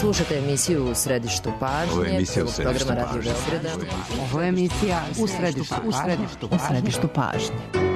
Slušate emisiju U središtu pažnje. Ovo je emisija U središtu pažnje. Ovo je emisija U središtu pažnje.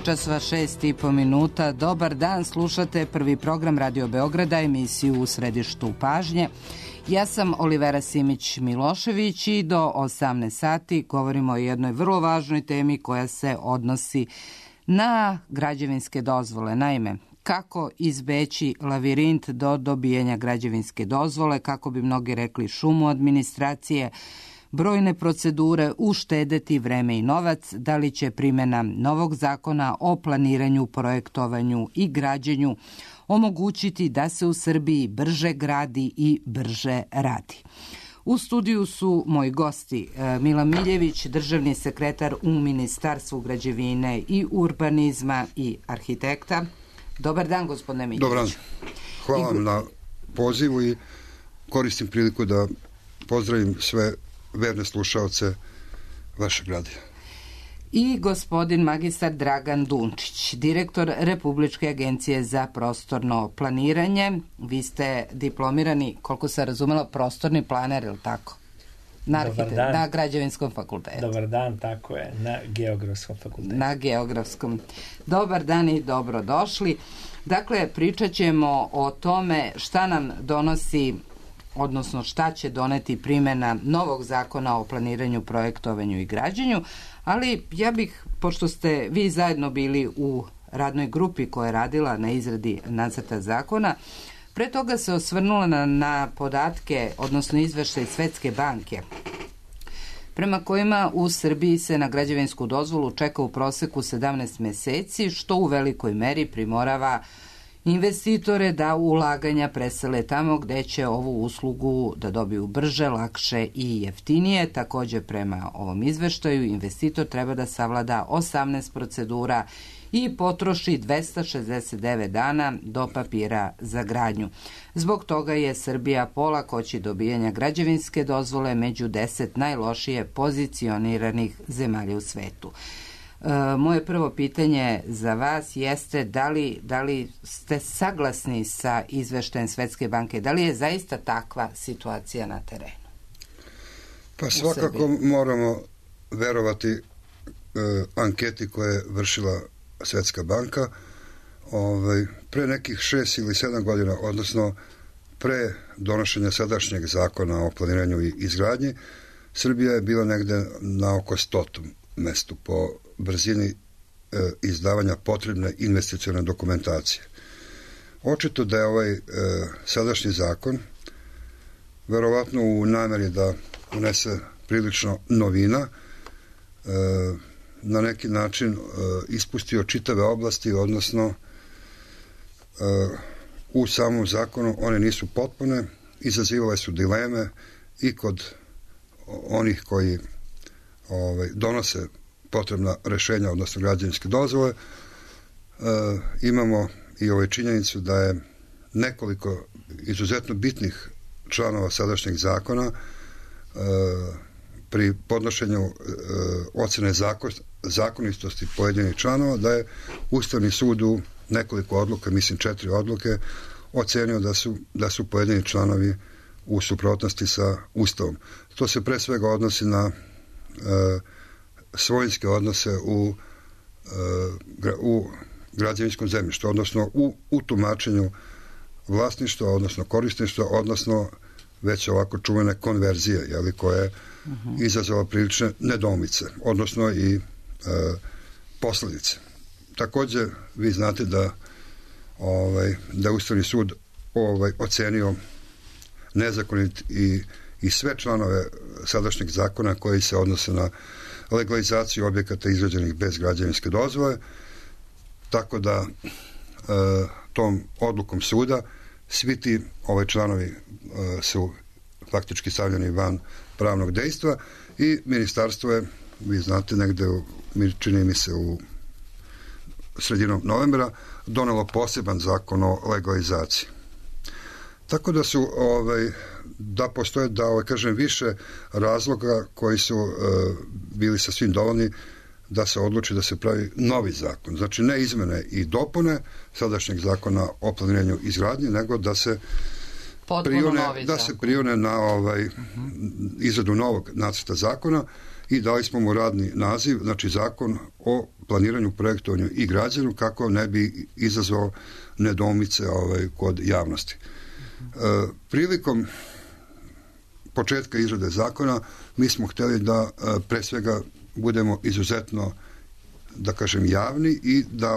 časova 6:30. Dobar dan, slušate prvi program Radio Beograda, emisiju U središtu pažnje. Ja sam Olivera Simić-Milošević i do 18 sati govorimo o jednoj vrlo važnoj temi koja se odnosi na građevinske dozvole. Naime, kako izbeći lavirint do dobijanja građevinske dozvole, kako bi mnogi rekli šumu administracije, brojne procedure, uštedeti vreme i novac, da li će primjena novog zakona o planiranju, projektovanju i građenju omogućiti da se u Srbiji brže gradi i brže radi. U studiju su moji gosti Milan Miljević, državni sekretar u Ministarstvu građevine i urbanizma i arhitekta. Dobar dan, gospodine Miljević. Dobar dan. Hvala vam na pozivu i koristim priliku da pozdravim sve verne slušaoce vašeg radija. I gospodin magistar Dragan Dunčić, direktor Republičke agencije za prostorno planiranje. Vi ste diplomirani, koliko sam razumela, prostorni planer, ili tako? Na građevinskom fakultetu. Dobar dan, tako je, na geografskom fakultetu. Na geografskom. Dobar dan i dobrodošli. Dakle, pričat ćemo o tome šta nam donosi, odnosno šta će doneti primjena novog zakona o planiranju, projektovanju i građenju, ali ja bih, pošto ste vi zajedno bili u radnoj grupi koja je radila na izradi nacrta zakona, pre toga se osvrnula na podatke, odnosno izveštaj Svetske banke, prema kojima u Srbiji se na građevinsku dozvolu čeka u proseku 17 meseci, što u velikoj meri primorava investitore da ulaganja presele tamo gde će ovu uslugu da dobiju brže, lakše i jeftinije. Također, prema ovom izveštaju, investitor treba da savlada 18 procedura i potroši 269 dana do papira za gradnju. Zbog toga je Srbija po lakoći dobijanja građevinske dozvole među 10 najlošije pozicioniranih zemalja u svetu. Moje prvo pitanje za vas jeste da li ste saglasni sa izveštajem Svetske banke? Da li je zaista takva situacija na terenu? Pa svakako moramo verovati anketi koje je vršila Svetska banka. Pre nekih 6 ili 7 godina, odnosno pre donošenja sadašnjeg zakona o planiranju i izgradnji, Srbija je bila negde na oko 100. mestu po brzini izdavanja potrebne investicione dokumentacije. Očito da je ovaj sadašnji zakon verovatno u nameri da unese prilično novina, na neki način ispustio čitave oblasti, odnosno u samom zakonu one nisu potpune, izazivale su dileme i kod onih koji donose potrebna rešenja, odnosno građevinske dozvole. Imamo i činjenicu da je nekoliko izuzetno bitnih članova sadašnjeg zakona pri podnošenju ocene zakonitosti pojedinih članova, da je Ustavni sud u nekoliko odluka, mislim 4 odluke, ocenio da su pojedini članovi u suprotnosti sa Ustavom. To se pre svega odnosi na svojinske odnose u građevinskom zemljištu, odnosno u tumačenju vlasništva, odnosno korisništva, odnosno već ovako čuvene konverzije, koja je izazvala prilične nedoumice, odnosno i posledice. Također, vi znate da je Ustavni sud ocenio nezakonit i sve članove sadašnjeg zakona koji se odnose na legalizaciju objekata izgrađenih bez građevinske dozvole, tako da tom odlukom suda svi ti članovi su faktički stavljeni van pravnog dejstva i ministarstvo je, vi znate, negde čini mi se u sredinom novembra donelo poseban zakon o legalizaciji. Tako da su da postoje, kažem, više razloga koji su bili sasvim dovoljni da se odluči da se pravi novi zakon. Znači, ne izmene i dopune sadašnjeg zakona o planiranju izgradnje, nego da se prione na izradu novog nacrta zakona i dali smo mu radni naziv, znači zakon o planiranju, projektovanju i građenju, kako ne bi izazvao nedoumice kod javnosti. Prilikom početka izrade zakona mi smo htjeli da pre svega budemo izuzetno, da kažem, javni i da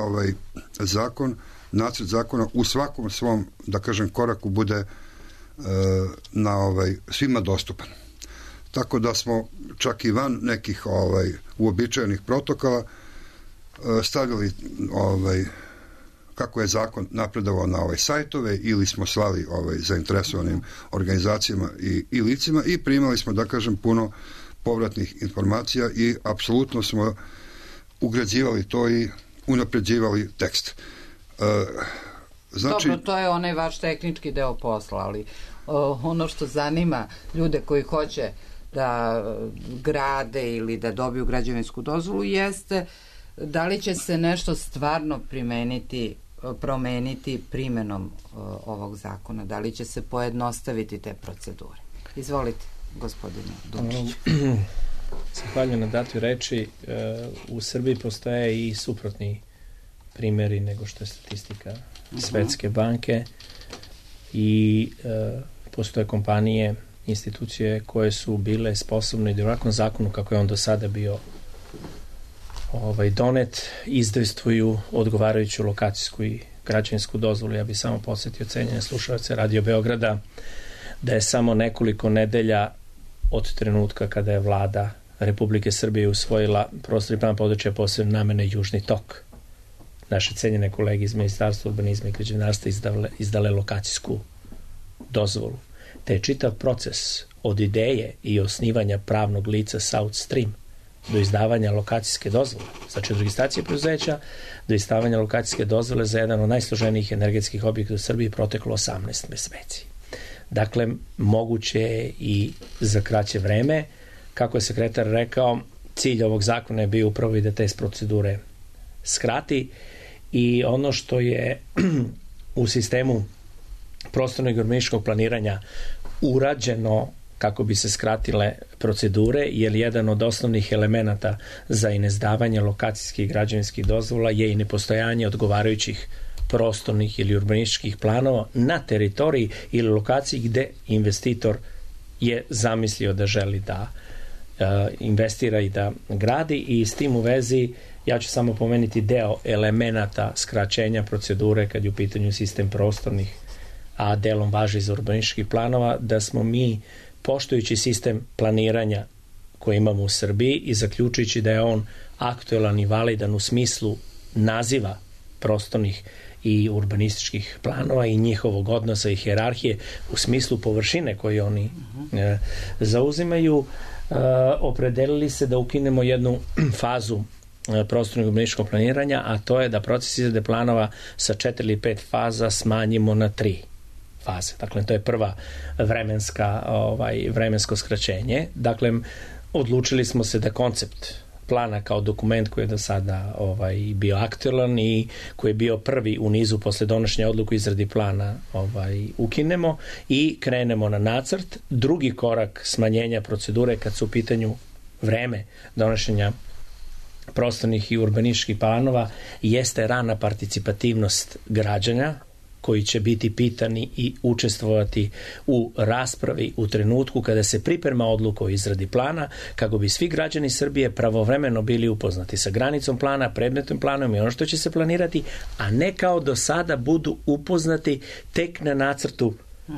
nacrt zakona u svakom svom, da kažem, koraku bude svima dostupan. Tako da smo čak i van nekih uobičajenih protokola stavili kako je zakon napredovao na sajtove ili smo slali zainteresovanim organizacijama i licima i primali smo, da kažem, puno povratnih informacija i apsolutno smo ugrađivali to i unapređivali tekst. Znači, dobro, to je onaj vaš tehnički deo posla, ali ono što zanima ljude koji hoće da grade ili da dobiju građevinsku dozvolu jeste da li će se nešto stvarno promeniti primenom ovog zakona, da li će se pojednostaviti te procedure. Izvolite, gospodine Dumčić. Zahvaljujem na datoj reči. U Srbiji postoje i suprotni primjeri nego što je statistika Svetske banke i postoje kompanije, institucije koje su bile sposobne da u ovakvom zakonu kako je on do sada bio donet, izdejstvuju odgovarajuću lokacijsku i građevinsku dozvolu. Ja bih samo podsjetio cenjene slušalce Radio Beograda da je samo nekoliko nedelja od trenutka kada je vlada Republike Srbije usvojila prostorni plan područja posebne namene Južni tok. Naše cenjene kolege iz Ministarstva urbanizma i građevinarstva izdale lokacijsku dozvolu. Te je čitav proces od ideje i osnivanja pravnog lica South Stream do izdavanja lokacijske dozvole, znači od registracije preduzeća do izdavanja lokacijske dozvole za jedan od najsloženijih energetskih objekata u Srbiji proteklo 18 meseci. Dakle, moguće je i za kraće vreme. Kako je sekretar rekao, cilj ovog zakona je bio upravo i da te procedure skrati i ono što je u sistemu prostornog i urbanističkog planiranja urađeno kako bi se skratile procedure, jer jedan od osnovnih elemenata za izdavanje lokacijskih i građevinskih dozvola je i nepostojanje odgovarajućih prostornih ili urbanističkih planova na teritoriji ili lokaciji gde investitor je zamislio da želi da investira i da gradi, i s tim u vezi ja ću samo pomenuti deo elemenata skraćenja procedure kad je u pitanju sistem prostornih, a delom važi za urbanističkih planova, da smo mi, poštujući sistem planiranja koji imamo u Srbiji i zaključujući da je on aktuelan i validan u smislu naziva prostornih i urbanističkih planova i njihovog odnosa i hijerarhije u smislu površine koje oni zauzimaju, opredelili se da ukinemo jednu fazu prostornog urbanističkog planiranja, a to je da proces izrade planova sa 4 ili 5 faza smanjimo na 3 faze. Dakle, to je prva vremensko skraćenje. Dakle, odlučili smo se da koncept plana kao dokument koji je do sada bio aktualan i koji je bio prvi u nizu posle donošenja odluku izradi plana ukinemo i krenemo na nacrt. Drugi korak smanjenja procedure kad su u pitanju vreme donošenja prostornih i urbanističkih planova jeste rana participativnost građana koji će biti pitani i učestvovati u raspravi u trenutku kada se priprema odluka o izradi plana, kako bi svi građani Srbije pravovremeno bili upoznati sa granicom plana, predmetnim planom i ono što će se planirati, a ne kao do sada budu upoznati tek na nacrtu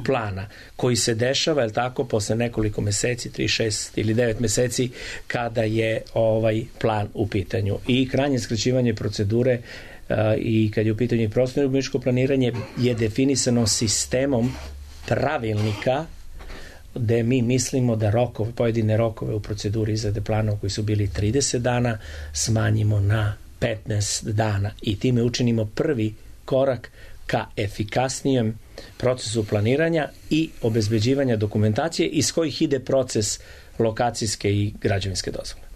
plana koji se dešava, je tako, posle nekoliko meseci, 3, 6 ili 9 meseci kada je plan u pitanju. I krajnje skraćivanje procedure i kad je u pitanju prostorno urbanističko planiranje je definisano sistemom pravilnika gde mi mislimo da pojedine rokove u proceduri izrade planova koji su bili 30 dana smanjimo na 15 dana i time učinimo prvi korak ka efikasnijem procesu planiranja i obezbeđivanja dokumentacije iz kojih ide proces lokacijske i građevinske dozvole.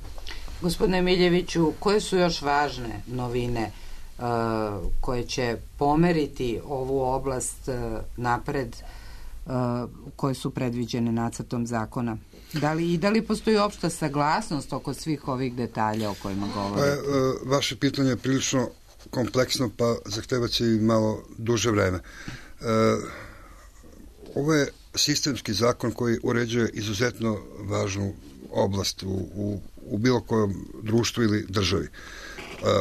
Gospodine Miljeviću, koje su još važne novine koje će pomeriti ovu oblast napred, koje su predviđene nacrtom zakona? Da li postoji opšta saglasnost oko svih ovih detalja o kojima govorite? Vaše pitanje je prilično kompleksno, pa zahtevaće i malo duže vreme. Ovo je sistemski zakon koji uređuje izuzetno važnu oblast u bilo kojem društvu ili državi.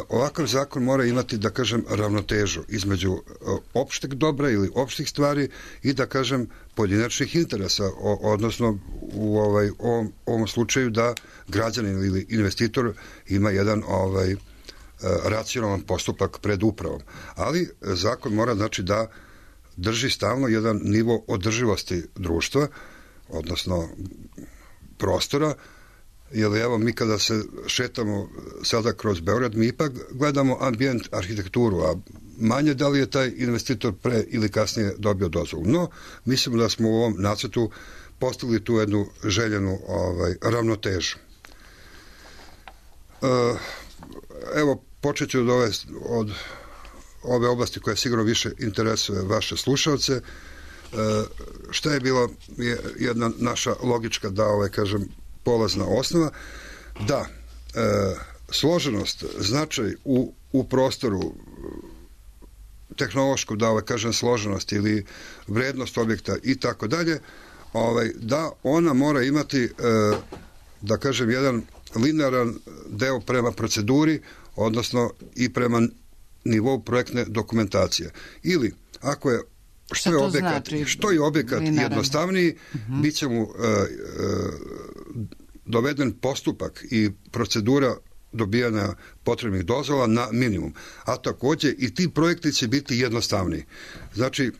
Ovakav zakon mora imati, da kažem, ravnotežu između opšteg dobra ili opštih stvari i, da kažem, pojedinačnih interesa, odnosno u ovom slučaju da građanin ili investitor ima jedan racionalan postupak pred upravom. Ali zakon mora, znači, da drži stalno jedan nivo održivosti društva, odnosno prostora, jer evo mi kada se šetamo sada kroz Beograd, mi ipak gledamo ambijent, arhitekturu, a manje da li je taj investitor pre ili kasnije dobio dozvolu. No, mislimo da smo u ovom nacrtu postavili tu jednu željenu ravnotežu. Evo, počet ću od ove oblasti koja sigurno više interesuje vaše slušalce. Šta je bila jedna naša logička, kažem, polazna osnova? Da, složenost, značaj u prostoru, tehnološku, kažem, složenost ili vrednost objekta i tako dalje, da ona mora imati, da kažem, jedan linearan deo prema proceduri, odnosno i prema nivou projektne dokumentacije. Ili, ako je što je objekat jednostavniji, bit će mu doveden postupak i procedura dobijanja potrebnih dozvola na minimum. A takođe i ti projekti će biti jednostavniji. Znači,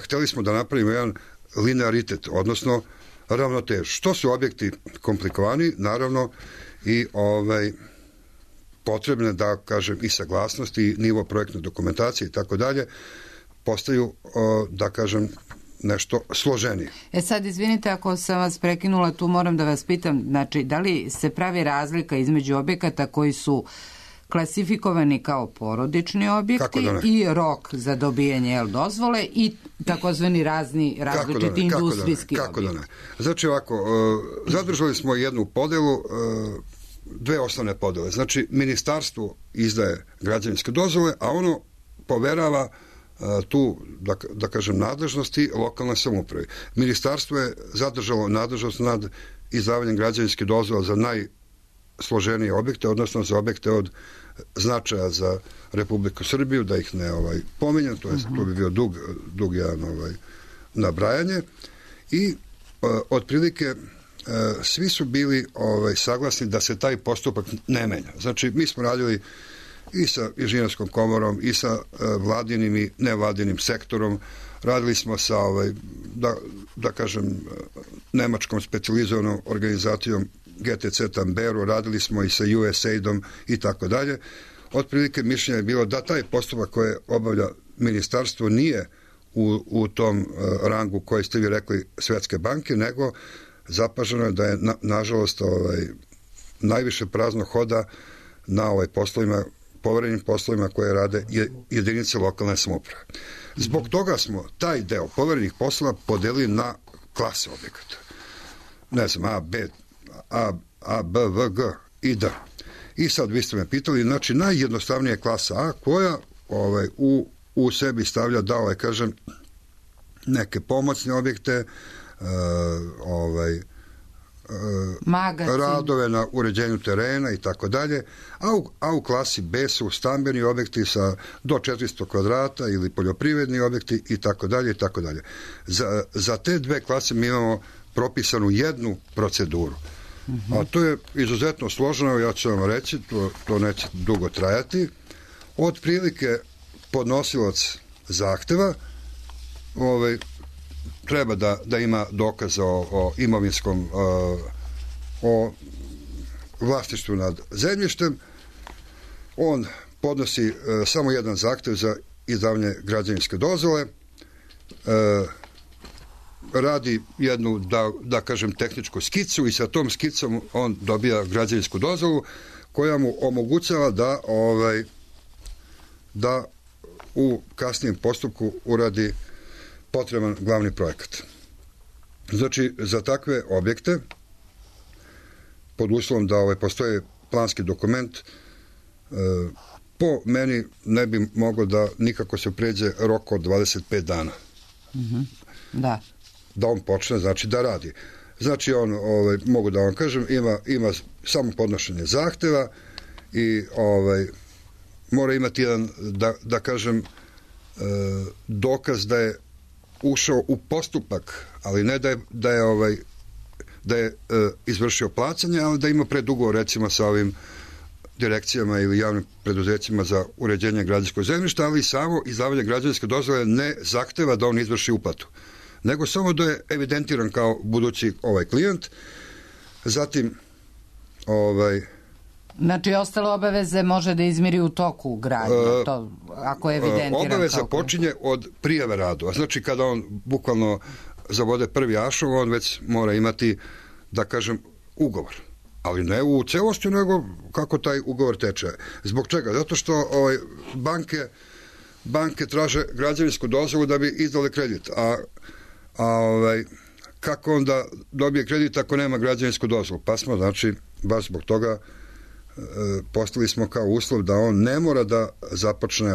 hteli smo da napravimo jedan linearitet, odnosno ravnotež. Što su objekti komplikovani, naravno, i potrebne, da kažem, i saglasnosti, i nivo projektne dokumentacije i tako dalje, postaju, da kažem, nešto složenije. Sad, izvinite ako sam vas prekinula, tu moram da vas pitam, znači, da li se pravi razlika između objekata koji su klasifikovani kao porodični objekti i rok za dobijanje dozvole i takozvani različiti industrijski objekti? Kako da ne? Znači, ovako, zadržali smo jednu podelu, dve osnovne podele. Znači, ministarstvo izdaje građevinske dozvole, a ono poverava tu, da kažem, nadležnosti lokalne samouprave. Ministarstvo je zadržalo nadležnost nad izdavanjem građevinske dozvole za najsloženije objekte, odnosno za objekte od značaja za Republiku Srbiju, da ih ne pominjem, to bi bio dug jedan nabrajanje. I otprilike svi su bili saglasni da se taj postupak ne menja. Znači, mi smo radili i sa inženjerskom komorom, i sa vladinim i nevladinim sektorom, radili smo sa, da kažem, nemačkom specijalizovanom organizacijom GTC Tamberu, radili smo i sa USAID-om i tako dalje. Otprilike mišljenje je bilo da taj postupak koje obavlja ministarstvo nije u tom rangu koji ste vi rekli Svetske banke, nego zapaženo je da je nažalost najviše prazno hoda na poslovima, poverenim poslovima koje rade jedinice lokalne samouprave. Zbog toga smo taj deo poverenih poslova podelili na klase objekata. Ne znam, A, B, V, G i D. I sad vi ste me pitali, znači najjednostavnija je klasa A koja u sebi stavlja da kažem neke pomoćne objekte, radove na uređenju terena i tako dalje, a u klasi B su stambeni objekti sa do 400 kvadrata ili poljoprivredni objekti i tako dalje i tako dalje. Za te dve klase mi imamo propisanu jednu proceduru. A to je izuzetno složeno, ja ću vam reći, to neće dugo trajati. Otprilike podnosilac zahteva treba da ima dokaz o imovinskom, o vlasništvu nad zemljištem. On podnosi samo jedan zahtev za izdavanje građevinske dozvole, radi jednu, da kažem, tehničku skicu i sa tom skicom on dobija građevinsku dozvolu koja mu omogućava da u kasnijem postupku uradi potreban glavni projekat. Znači, za takve objekte, pod uslovom da postoji planski dokument, po meni ne bi moglo da nikako se pređe rok od 25 dana. Da on počne, znači, da radi. Znači, on, mogu da vam kažem, ima samo podnošenje zahteva i mora imati jedan, da kažem, dokaz da je ušao u postupak, ali ne da je izvršio plaćanje, ali da ima predugovor recimo sa ovim direkcijama ili javnim preduzećima za uređenje građevinskog zemljišta, ali samo izdavanje građevinske dozvole ne zahteva da on izvrši uplatu, nego samo da je evidentiran kao budući klijent. Zatim znači, ostale obaveze može da izmiri u toku gradnje, to, ako je evidentiran. Obaveza počinje od prijave radova. Znači, kada on bukvalno zavode prvi ašov, on već mora imati, da kažem, ugovor. Ali ne u celosti, nego kako taj ugovor teče. Zbog čega? Zato što banke traže građevinsku dozvolu da bi izdale kredit. Kako onda dobije kredit ako nema građevinsku dozvolu? Pa smo, znači, baš zbog toga postavili smo kao uslov da on ne mora da započne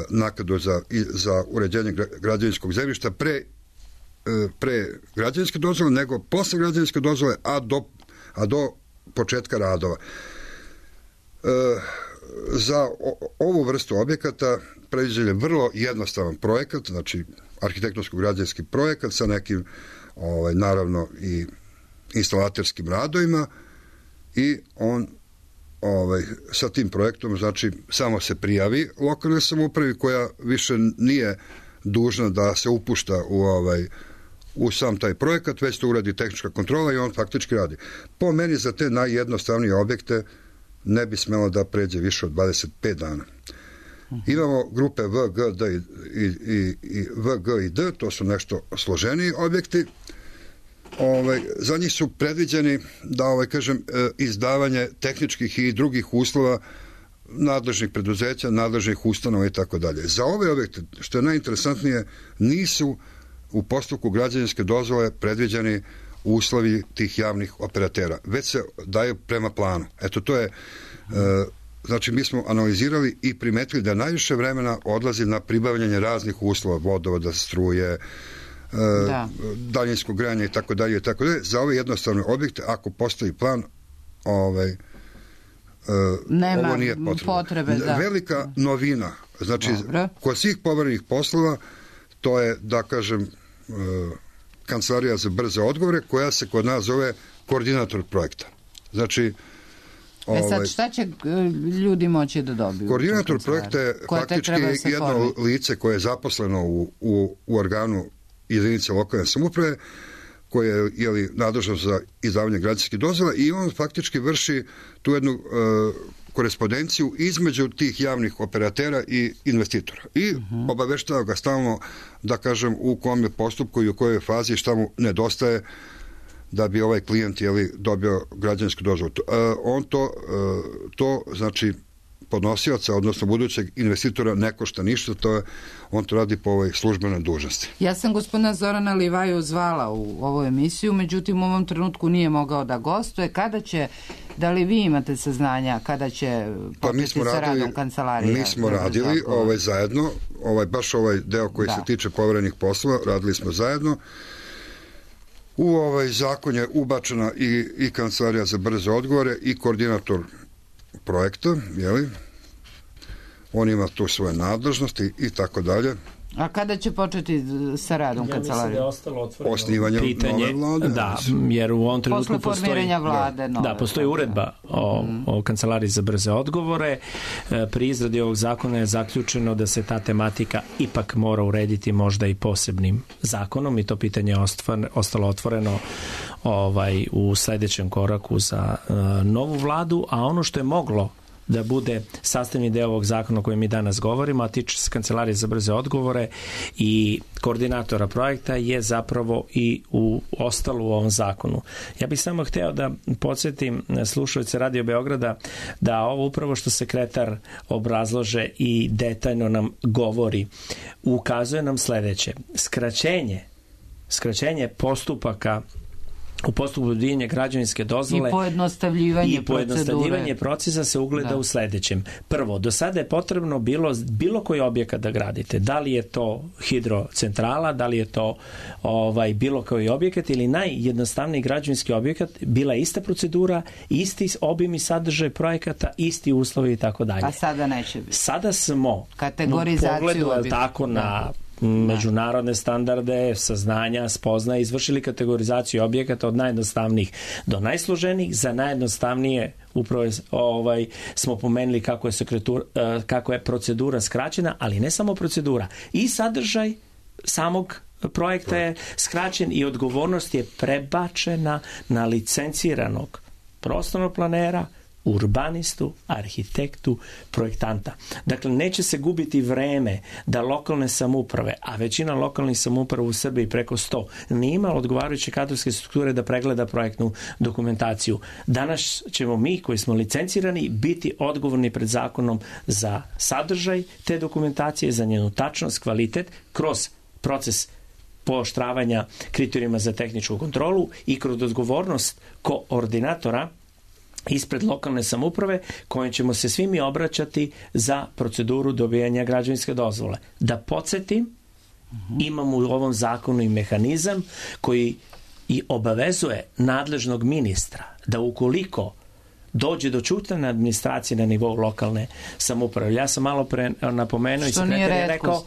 naknadu za uređenje građevinskog zemljišta pre građevinske dozvole, nego posle građevinske dozvole, a do početka radova. Za ovu vrstu objekata predviđen je vrlo jednostavan projekat, znači arhitektonsko-građevinski projekat sa nekim naravno i instalaterskim radovima, i on sa tim projektom, znači, samo se prijavi lokalnoj samoupravi koja više nije dužna da se upušta u sam taj projekat, već to uradi tehnička kontrola i on faktički radi. Po meni za te najjednostavnije objekte ne bi smelo da pređe više od 25 dana. Imamo grupe V, G, D i V, G i D, to su nešto složeniji objekti. Za njih su predviđeni da, kažem, izdavanje tehničkih i drugih uslova nadležnih preduzeća, nadležnih ustanova i tako dalje. Za ove objekte, što je najinteresantnije, nisu u postupku građevinske dozvole predviđeni uslovi tih javnih operatera, već se daju prema planu. Eto, to je, znači, mi smo analizirali i primetili da najviše vremena odlazi na pribavljanje raznih uslova, vodovoda, struje, daljinskog grejanja i tako dalje. Za ove jednostavne objekte, ako postoji plan, ovo nije potrebe. Velika novina, znači, kod svih poverenih poslova, to je, da kažem, Kancelarija za brze odgovore, koja se kod nas zove koordinator projekta. Znači, sad, šta će ljudi moći da dobiju? Koordinator projekta je faktički jedno lice koje je zaposleno u organu jedinice lokalne samouprave, koje je nadležno za izdavanje građevinskih dozvola i on faktički vrši tu jednu korespondenciju između tih javnih operatera i investitora. I obaveštava ga stalno, da kažem, u kom je postupku i u kojoj fazi šta mu nedostaje da bi ovaj klijent dobio građevinsku dozvolu. On to znači podnosioca, odnosno budućeg investitora ne košta ništa, on to radi po ovoj službenoj dužnosti. Ja sam gospodina Zorana Livaju zvala u ovu emisiju, međutim u ovom trenutku nije mogao da gostuje. Kada će, da li vi imate saznanja, kada će početi sa radom kancelarija? Mi smo radili zajedno, baš ovaj deo koji se tiče poverenih poslova, radili smo zajedno. U ovaj zakon je ubačena i kancelarija za brze odgovore i koordinator projekta, jeli? On ima tu svoje nadležnosti i tako dalje. A kada će početi sa radom kancelarije? Ja mislim da je ostalo otvoreno osnivanje nove vlade. Da, jer u ovom trenutku postoji uredba o kancelariji za brze odgovore. Pri izradi ovog zakona je zaključeno da se ta tematika ipak mora urediti možda i posebnim zakonom i to pitanje je ostalo otvoreno u sledećem koraku za novu vladu, a ono što je moglo da bude sastavni deo ovog zakona o kojem mi danas govorimo, a tiče se kancelarije za brze odgovore i koordinatora projekta, je zapravo i ostalo u ovom zakonu. Ja bih samo hteo da podsjetim slušalce Radio Beograda da ovo upravo što sekretar obrazlože i detaljno nam govori, ukazuje nam sledeće. Skraćenje postupaka u postupku dobijanja građevinske dozvole i pojednostavljivanje procesa se ugleda u sledećem. Prvo, do sada je potrebno bilo koji objekat da gradite. Da li je to hidrocentrala, da li je to bilo koji objekat ili najjednostavniji građevinski objekat, bila je ista procedura, isti obim i sadržaj projekata, isti uslovi i tako dalje. A sada neće biti. Sada smo kategorizaciju tako na međunarodne standarde, saznanja, spoznaje, izvršili kategorizaciju objekata od najjednostavnijih do najsloženijih. Za najjednostavnije upravo smo pomenuli kako je procedura skraćena, ali ne samo procedura. I sadržaj samog projekta je skraćen i odgovornost je prebačena na licenciranog prostornog planera, urbanistu, arhitektu, projektanta. Dakle, neće se gubiti vreme da lokalne samouprave, a većina lokalnih samouprava u Srbiji preko 100, nije imala odgovarajuće kadrovske strukture da pregleda projektnu dokumentaciju. Danas ćemo mi, koji smo licencirani, biti odgovorni pred zakonom za sadržaj te dokumentacije, za njenu tačnost, kvalitet, kroz proces pooštravanja kriterijuma za tehničku kontrolu i kroz odgovornost koordinatora ispred lokalne samouprave kojim ćemo se svi mi obraćati za proceduru dobijanja građevinske dozvole. Da podsjetim, imamo u ovom zakonu i mehanizam koji i obavezuje nadležnog ministra da ukoliko dođe do ćutanja administracije na nivou lokalne samouprave. Ja sam malo pre napomenuo i sekretar je rekao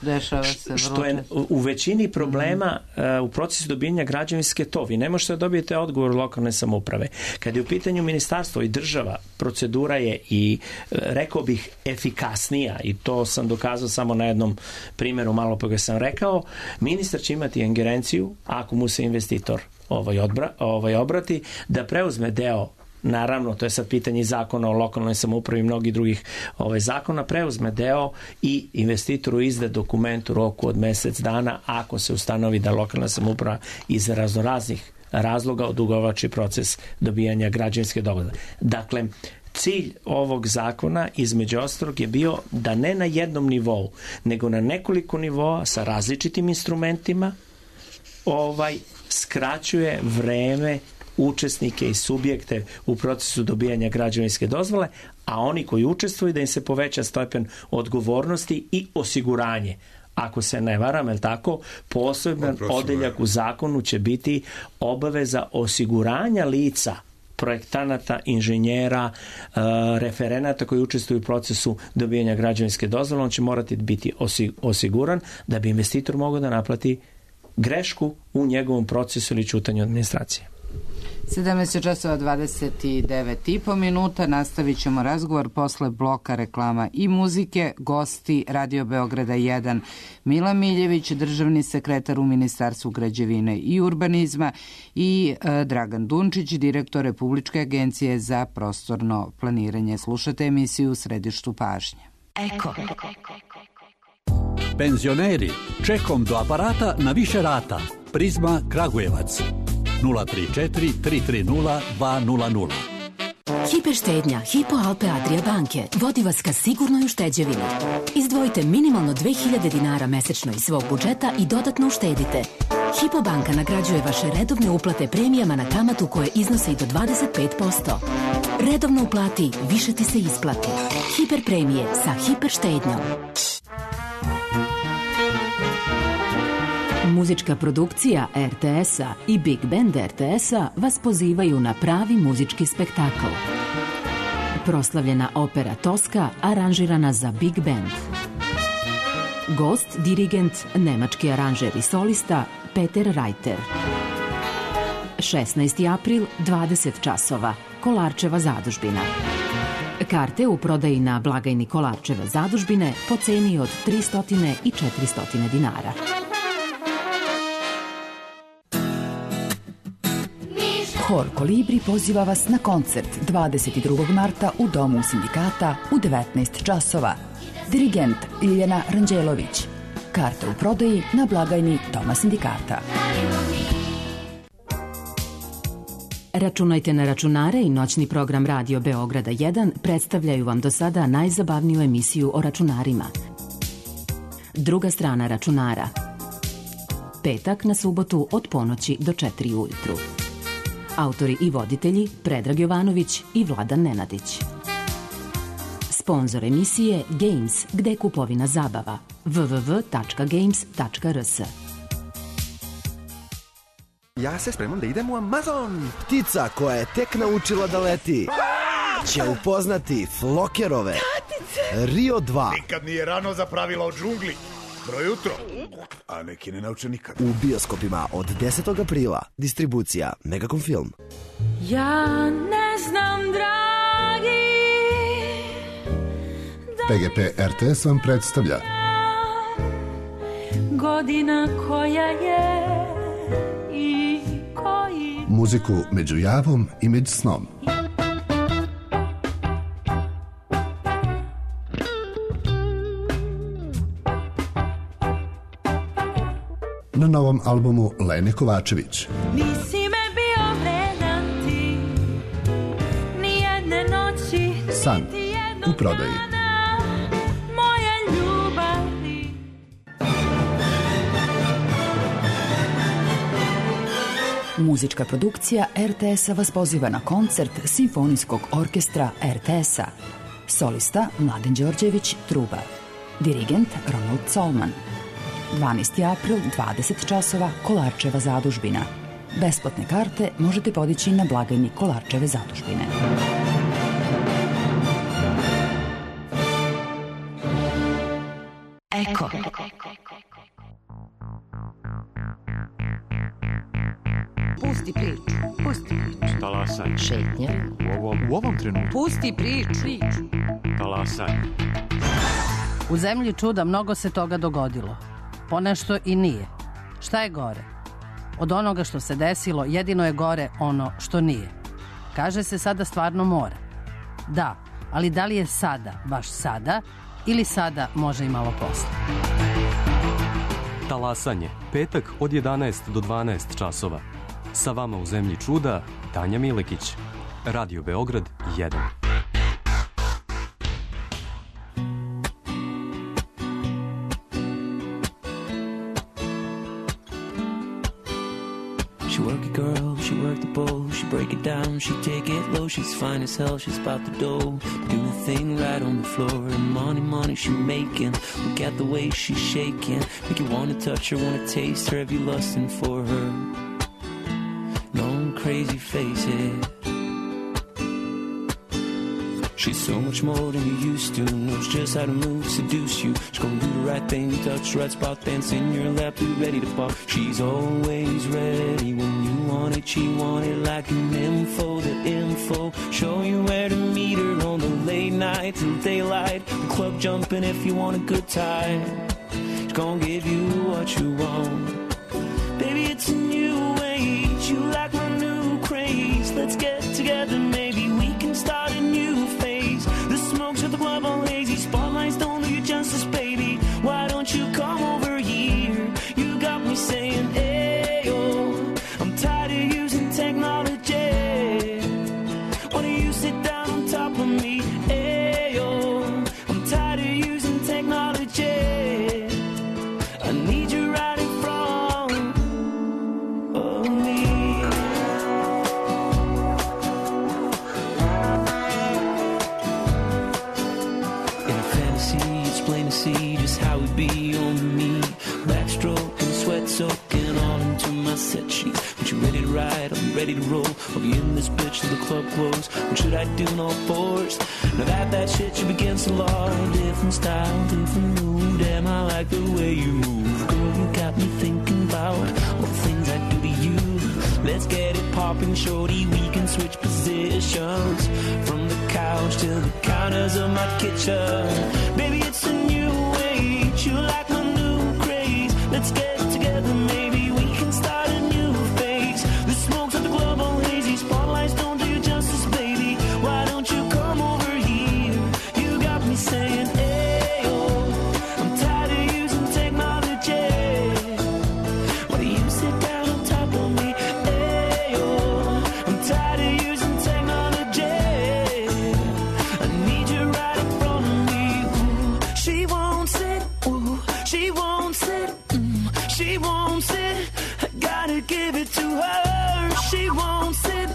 što je u većini problema u procesu dobijanja građevinske vi ne možete da dobijete odgovor lokalne samouprave. Kad je u pitanju ministarstvo i država, procedura je i rekao bih efikasnija i to sam dokazao samo na jednom primjeru malo pa ga sam rekao. Ministar će imati ingerenciju ako mu se investitor obrati da preuzme deo. Naravno, to je sad pitanje zakona o lokalnoj samoupravi i mnogih drugih zakona, preuzme deo i investitoru izda dokument u roku od mesec dana ako se ustanovi da lokalna samouprava iz raznoraznih razloga odugovlači proces dobijanja građevinske dozvole. Dakle, cilj ovog zakona između ostalog je bio da ne na jednom nivou, nego na nekoliko nivoa sa različitim instrumentima skraćuje vreme učesnike i subjekte u procesu dobijanja građevinske dozvole, a oni koji učestvuju da im se poveća stepen odgovornosti i osiguranje. Ako se ne varam, je tako, poseban odeljak u zakonu će biti obaveza osiguranja lica, projektanata, inženjera, referenata koji učestvuju u procesu dobijanja građevinske dozvole. On će morati biti osiguran da bi investitor mogao da naplati grešku u njegovom procesu ili ćutanju administracije. 17:29 nastavit ćemo razgovor posle bloka reklama i muzike. Gosti Radio Beograda 1 Mila Miljević, državni sekretar u Ministarstvu građevine i urbanizma, i Dragan Dunčić, direktor Republičke agencije za prostorno planiranje. Slušate emisiju U središtu pažnje. Eko. Penzioneri, čekom do aparata na više rata. Prizma Kragujevac 034 330 200. Hiperštednja Hypo Alpe Adria banke vodi vas ka sigurnoj ušteđevini. Izdvojite minimalno 2000 dinara mesečno iz svog budžeta i dodatno uštedite. Hypo banka nagrađuje vaše redovne uplate premijama na kamatu koje iznose i do 25%. Redovno uplati, više ti se isplati. Hiper premije sa hiperštednjom. Muzička produkcija RTS-a i Big Band RTS-a vas pozivaju na pravi muzički spektakl. Proslavljena opera Toska aranžirana za Big Band. Gost, dirigent, nemački aranžer i solista Peter Reiter. 16. april, 20 časova, Kolarčeva zadužbina. Karte u prodaji na blagajni Kolarčeve zadužbine po ceni od 300 i 400 dinara. Hor Kolibri poziva vas na koncert 22. marta u Domu sindikata u 19 časova. Dirigent Ljiljana Ranđelović. Karte u prodaji na blagajni Doma sindikata. Računajte na računare i noćni program Radio Beograda 1 predstavljaju vam do sada najzabavniju emisiju o računarima. Druga strana računara. Petak na subotu od ponoći do 4 ujutru. Autori i voditelji Predrag Jovanović i Vladan Nenadić. Sponzor emisije Games, gde je kupovina zabava. www.games.rs. Ja se spremam da idem u Amazon. Ptica koja je tek naučila da leti će upoznati Flokerove. Rio 2. Nikad nije rano za pravila o džungli. Dobro jutro. A neki ne nauče nikad. U bioskopima od 10. aprila. Distribucija Megacom Film. Ja ne znam, dragi, PGP RTS vam predstavlja godina koja je i koji muziku među javom i među snom. Na novom albumu Lene Kovačević. Nisi me bio vredan ti, ni jedne noći, San u prodaji. moje ljubavi. Muzička produkcija RTS-a vas poziva na koncert Simfonijskog orkestra RTS-a. Solista Mladen Đorđević, truba. Dirigent Ronald Solman. 12. april, 20 časova, Kolarčeva zadužbina. Besplatne karte možete podići na blagajni Kolarčeve zadužbine. Eko. Pusti priču. Pusti priču. Talasaj. Šetnja. U ovom trenutku. Pusti priču. Talasaj. U zemlji čuda mnogo se toga dogodilo. Ponešto i nije. Šta je gore? Od onoga što se desilo, jedino je gore ono što nije. Kaže se sada stvarno mora. Da, ali da li je sada, baš sada, ili sada može i malo posle? Talasanje. Petak od 11 do 12 časova. Sa vama u zemlji čuda, Tanja Milekić. Radio Beograd 1. She work it, girl, she work the bowl, she break it down, she take it low, she's fine as hell, she's about the dough, do the thing right on the floor, and money she making, look at the way she's shaking, make you wanna touch her, wanna taste her, have you lusting for her, going crazy, face it. She's so much more than you used to. Knows just how to move, seduce you. She's gonna do the right thing, touch the right spot, dance in your lap, be ready to pop. She's always ready when you want it. She want it like an info, the info. Show you where to meet her on the late night till daylight. The club jumping if you want a good time. She's gonna give you what you want. Baby, it's a new age. You like my new craze. Let's get together, maybe we can start a new phase. The smokes at the club all hazy. Spotlights don't do you justice, baby. Why don't you come over here? You got me saying, ayo, I'm tired of using technology. Why don't you sit down on top of me? Ayo, I'm tired of using technology. I need you right in front of me. In a fantasy, it's plain to see just how it be on me. Backstroke and sweat soaking all into my set sheet. When you ready to ride, I'll be ready to roll. I'll be in this bitch till the club close. What should I do in all fours? Now that shit you against the law. Different style, different mood. Damn, I like the way you move. Girl, you got me thinking about all the things I do to you. Let's get it popping, shorty. We can switch positions from the couch to the counters of my kitchen. Baby, it's a new age. You like my new craze. Let's get together, maybe we can start a new phase. The smokes at the club all hazy. Spotlights don't do you justice, baby. Why don't you come over here? You got me saying, ayo, I'm tired of using technology. Why do you sit down on top of me? Ayo, I'm tired of using technology. I need you right in front of me. Ooh, she won't sit. Ooh, she won't sit. She won't sit. I gotta give it to her. She won't sit.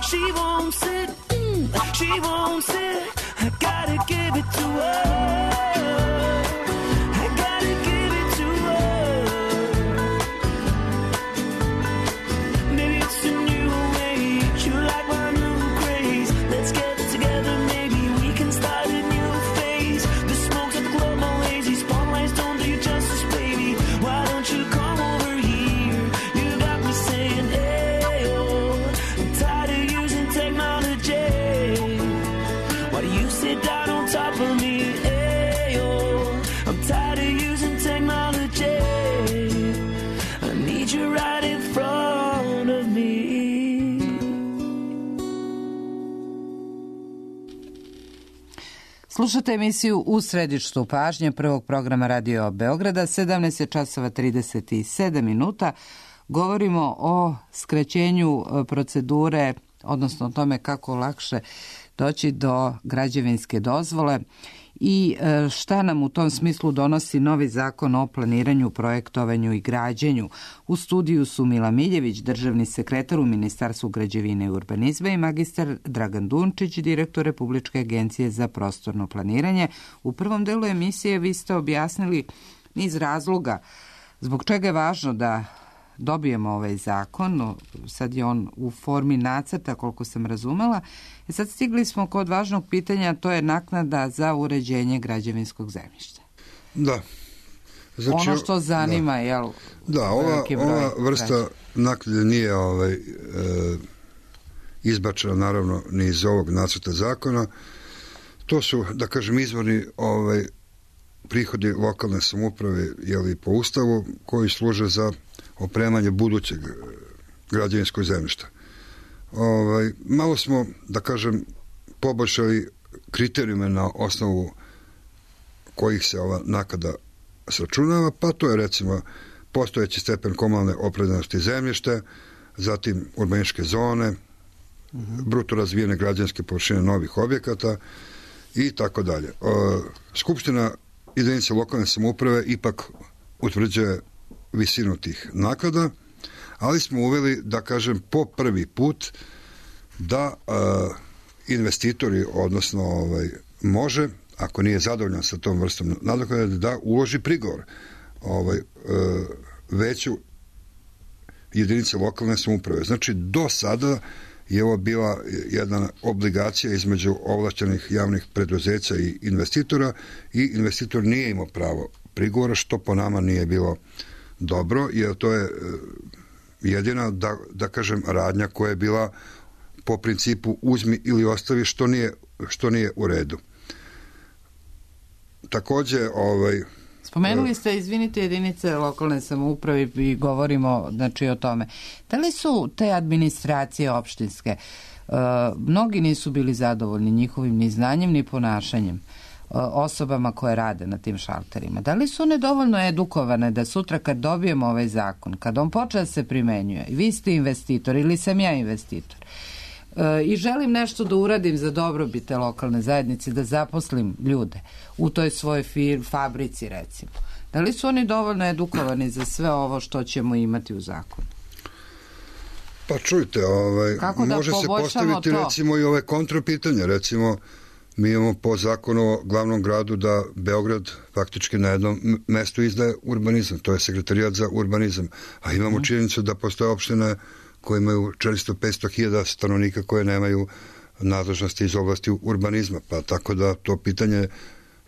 She won't sit. She won't sit. I gotta give it to her. I gotta give it to her. Maybe it's a new age. You like my new craze. Let's get together, maybe we can start a new phase. The smokes at the club all lazy. Spotlights don't do you justice, baby. Why don't you come over here? You got me saying, ayo, I'm tired of using technology. Why do you sit down on top of me? Ayo, I'm tired of using technology. I need you right in front of me. Slušate emisiju U središtu pažnje prvog programa Radio Beograda, 17 je časova 37 minuta. Govorimo o skraćenju procedure, odnosno o tome kako lakše doći do građevinske dozvole i šta nam u tom smislu donosi novi zakon o planiranju, projektovanju i građenju. U studiju su Mila Miljević, državni sekretar u Ministarstvu građevine i urbanizma, i magistar Dragan Dunčić, direktor Republičke agencije za prostorno planiranje. U prvom delu emisije vi ste objasnili niz razloga zbog čega je važno da dobijemo ovaj zakon. Sad je on u formi nacrta, koliko sam razumela. Sad stigli smo kod važnog pitanja, to je naknada za uređenje građevinskog zemljišta. Da. Znači, ono što zanima, jel? Da, ova vrsta naknade nije izbačena naravno ni iz ovog nacrta zakona. To su, da kažem, izvorni prihodi lokalne samouprave, jeli, po ustavu, koji služe za opremanje budućeg građevinskog zemljišta. Malo smo, da kažem, poboljšali kriterijume na osnovu kojih se ova naknada sračunava, pa to je recimo postojeći stepen komunalne opremljenosti zemljišta, zatim urbanističke zone, bruto razvijene građevinske površine novih objekata i tako dalje. Skupština jedinice lokalne samouprave ipak utvrđuje visinu tih naknada, ali smo uveli, da kažem, po prvi put da investitori, odnosno može, ako nije zadovoljan sa tom vrstom nadoknade, da uloži prigovor veću jedinice lokalne samouprave. Znači, do sada je ovo bila jedna obligacija između ovlašćenih javnih preduzeća i investitora i investitor nije imao pravo prigovora, što po nama nije bilo dobro, jer to je jedina, da kažem, radnja koja je bila po principu uzmi ili ostavi, što nije u redu. Takođe, spomenuli ste, izvinite, jedinice lokalne samouprave i govorimo, znači, o tome. Da li su te administracije opštinske, mnogi nisu bili zadovoljni njihovim ni znanjem ni ponašanjem osobama koje rade na tim šalterima? Da li su one dovoljno edukovane da sutra kad dobijemo ovaj zakon, kad on počne da se primenjuje, i vi ste investitor ili sam ja investitor, i želim nešto da uradim za dobrobit te lokalne zajednice, da zaposlim ljude u toj svojoj fabrici, recimo. Da li su oni dovoljno edukovani za sve ovo što ćemo imati u zakonu? Pa čujte, može se postaviti to? Recimo i ove kontrapitanje. Recimo, mi imamo po zakonu o glavnom gradu da Beograd faktički na jednom mestu izdaje urbanizam, to je sekretarijat za urbanizam, a imamo činjenicu da postoje opštine koje imaju 400-500 hiljada stanovnika koje nemaju nadležnosti iz oblasti urbanizma, pa tako da to pitanje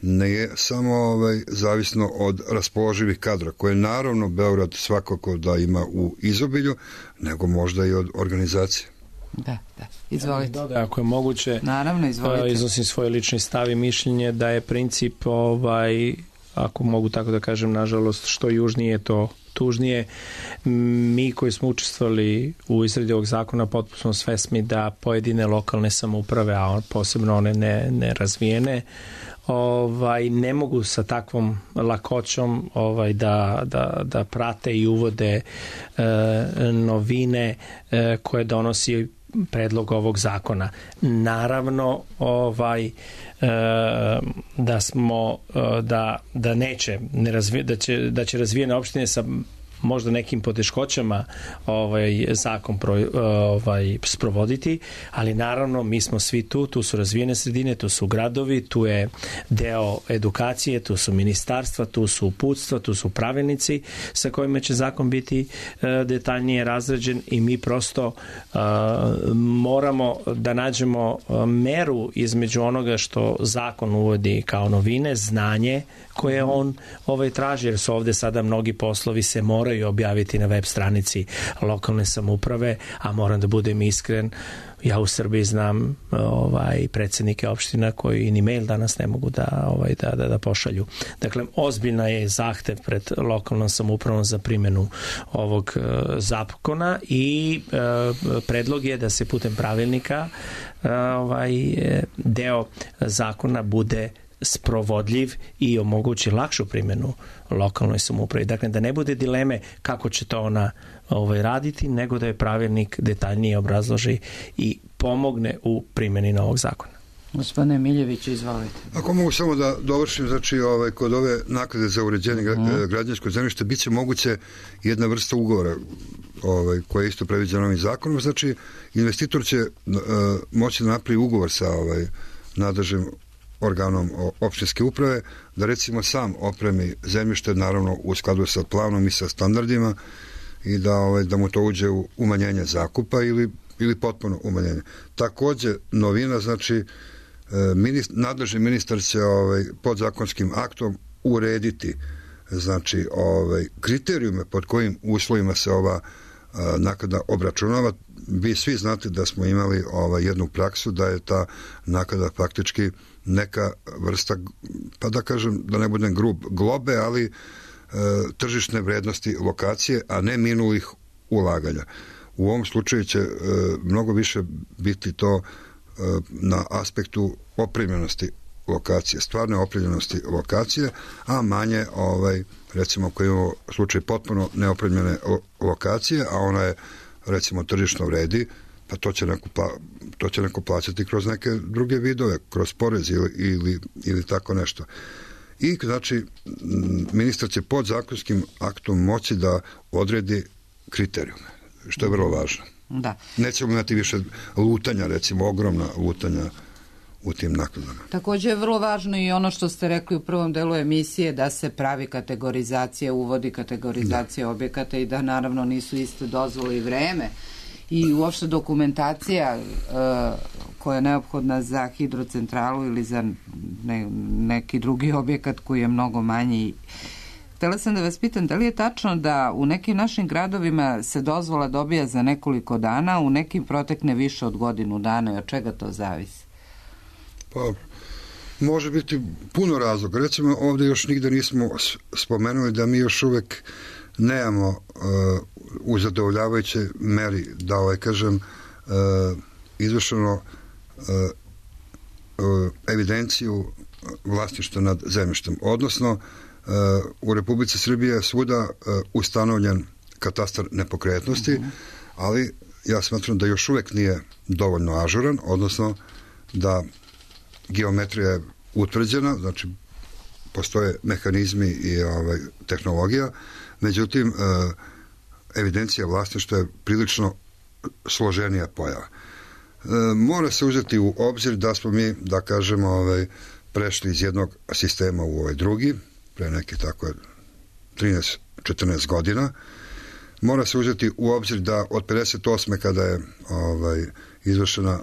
ne je samo zavisno od raspoloživih kadra, koje naravno Beograd svakako da ima u izobilju, nego možda i od organizacije. Da, izvolite. Ako je moguće, naravno, izvolite. Iznosim svoj lični stav i mišljenje da je princip, ako mogu tako da kažem, nažalost, što južnije to tužnije. Mi koji smo učestvovali u izradi ovog zakona potpuno smo svesni da pojedine lokalne samouprave, a posebno one nerazvijene, ne mogu sa takvom lakoćom da prate i uvode novine koje donosi predlog ovog zakona. Naravno, da će razvijene opštine sa možda nekim poteškoćama zakon sprovoditi, ali naravno mi smo svi tu su razvijene sredine, tu su gradovi, tu je deo edukacije, tu su ministarstva, tu su uputstva, tu su pravilnici sa kojima će zakon biti detaljnije razrađen i mi prosto moramo da nađemo meru između onoga što zakon uvodi kao novine, znanje koje on traži, jer su ovde sada mnogi poslovi se moraju objaviti na web stranici lokalne samouprave, a moram da budem iskren, ja u Srbiji znam predsednike opština koji ni mail danas ne mogu da pošalju. Dakle, ozbiljna je zahtev pred lokalnom samoupravom za primjenu ovog zakona i predlog je da se putem pravilnika deo zakona bude sprovodljiv i omogući lakšu primjenu lokalnoj samoupravi. Dakle, da ne bude dileme kako će to ona raditi, nego da je pravilnik detaljnije obrazloži i pomogne u primjeni novog zakona. Gospodine Miljević, izvolite. Ako mogu samo da dovršim, znači kod ove naknade za uređenje građevinskog zemljišta biće moguće jedna vrsta ugovora koja je isto predviđena ovim zakonom. Znači, investitor će moći da napravi ugovor sa nadležnim organom opštinske uprave, da recimo sam opremi zemljište, naravno u skladu sa planom i sa standardima, i da mu to uđe u umanjenje zakupa ili potpuno umanjenje. Takođe, novina, znači, nadležni ministar će podzakonskim aktom urediti, znači, kriterijume pod kojim uslovima se ova naknada obračunava. Vi svi znate da smo imali jednu praksu da je ta naknada faktički neka vrsta, pa da kažem, da ne budem grub, globe, ali tržišne vrednosti lokacije, a ne minulih ulaganja. U ovom slučaju će mnogo više biti to na aspektu opremljenosti lokacije, stvarne opremljenosti lokacije, a manje, recimo, ako imamo slučaj potpuno neopremljene lokacije, a ona je, recimo, tržišno vredi, pa to će neko plaćati kroz neke druge vidove, kroz porez ili tako nešto. I, znači, ministar će podzakonskim aktom moći da odredi kriterijume, što je vrlo važno. Da. Nećemo imati više lutanja, recimo, ogromna lutanja u tim nakladama. Takođe je vrlo važno i ono što ste rekli u prvom delu emisije, da se pravi kategorizacija, uvodi kategorizacija objekata i da naravno nisu iste dozvole i vreme i uopšte dokumentacija koja je neophodna za hidrocentralu ili za neki drugi objekat koji je mnogo manji. Htela sam da vas pitam, da li je tačno da u nekim našim gradovima se dozvola dobija za nekoliko dana, u nekim protekne više od godinu dana i od čega to zavisi? Pa, može biti puno razloga. Recimo, ovdje još nigde nismo spomenuli da mi još uvek nemamo u zadovoljavajućoj meri, da kažem, izvršeno evidenciju vlasništva nad zemljištem. Odnosno, u Republici Srbije je svuda ustanovljen katastar nepokretnosti, ali ja smatram da još uvek nije dovoljno ažuran, odnosno da geometrija je utvrđena, znači postoje mehanizmi i tehnologija, međutim evidencija vlasništva je prilično složenija pojava. Mora se uzeti u obzir da smo mi, da kažemo, prešli iz jednog sistema u ovaj drugi, pre neke tako 13-14 godina. Mora se uzeti u obzir da od 58. kada je izvršena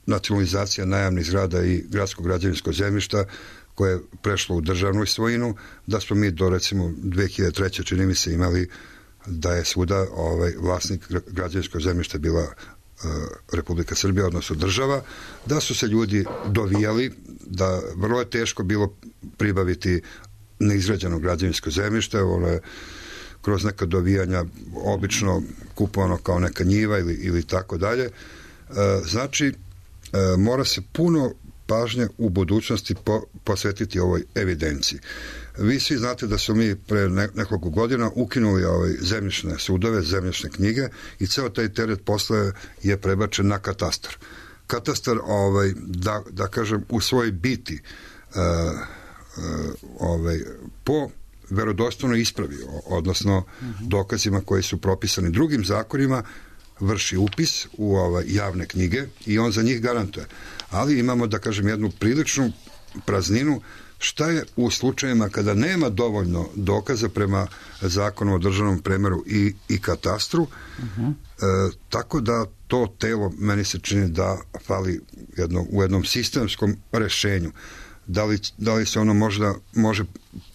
nacionalizacija najamnih zgrada i gradskog građevinskog zemljišta koje je prešlo u državnu svojinu, da smo mi do recimo 2003. čini mi se imali da je svuda vlasnik građevinskog zemljišta bila Republika Srbija, odnosno država, da su se ljudi dovijali, da vrlo je teško bilo pribaviti neizgrađeno građevinsko zemljište, ono je kroz neka dovijanja obično kupovano kao neka njiva ili tako dalje. Znači, mora se puno pažnje u budućnosti posvetiti ovoj evidenciji. Vi svi znate da su mi pre nekoliko godina ukinuli zemljišne sudove, zemljišne knjige i ceo taj teret posle je prebačen na katastar. Katastar, da kažem, u svojoj biti po verodostojnoj ispravi, odnosno dokazima koji su propisani drugim zakonima, vrši upis u javne knjige i on za njih garantuje. Ali imamo, da kažem, jednu priličnu prazninu. Šta je u slučajima kada nema dovoljno dokaza prema zakonu o državnom premeru i katastru, tako da to telo meni se čini da fali u jednom sistemskom rešenju. Da li se ono možda može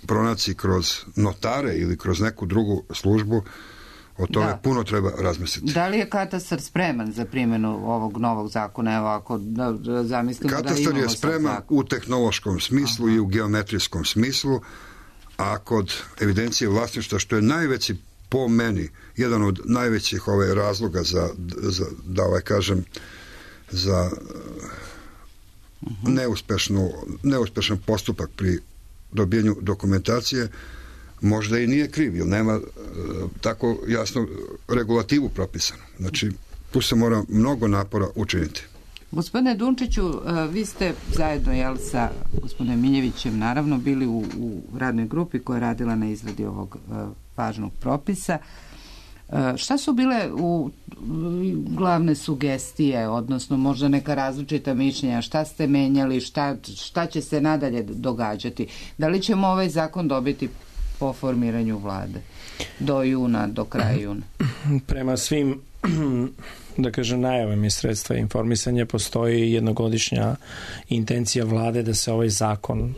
pronaći kroz notare ili kroz neku drugu službu, o tome puno treba razmisliti. Da li je katastar spreman za primjenu ovog novog zakona? Evo, ako zamislimo da imamo katastar je spreman u tehnološkom smislu i u geometrijskom smislu, a kod evidencije vlasništva, što je najveći, po meni, jedan od najvećih razloga da kažem, za neuspešan postupak pri dobijanju dokumentacije, možda i nije kriv, jer nema tako jasno regulativu propisanu. Znači, tu se mora mnogo napora učiniti. Gospodine Dunčiću, vi ste zajedno sa gospodinom Miljevićem naravno bili u radnoj grupi koja je radila na izradi ovog važnog propisa. Šta su bile glavne sugestije, odnosno možda neka različita mišljenja, šta ste menjali, šta će se nadalje događati? Da li ćemo ovaj zakon dobiti po formiranju vlade do juna, do kraja juna? Prema svim, da kažem, najavama i sredstva informisanja postoji jednogodišnja intencija vlade da se ovaj zakon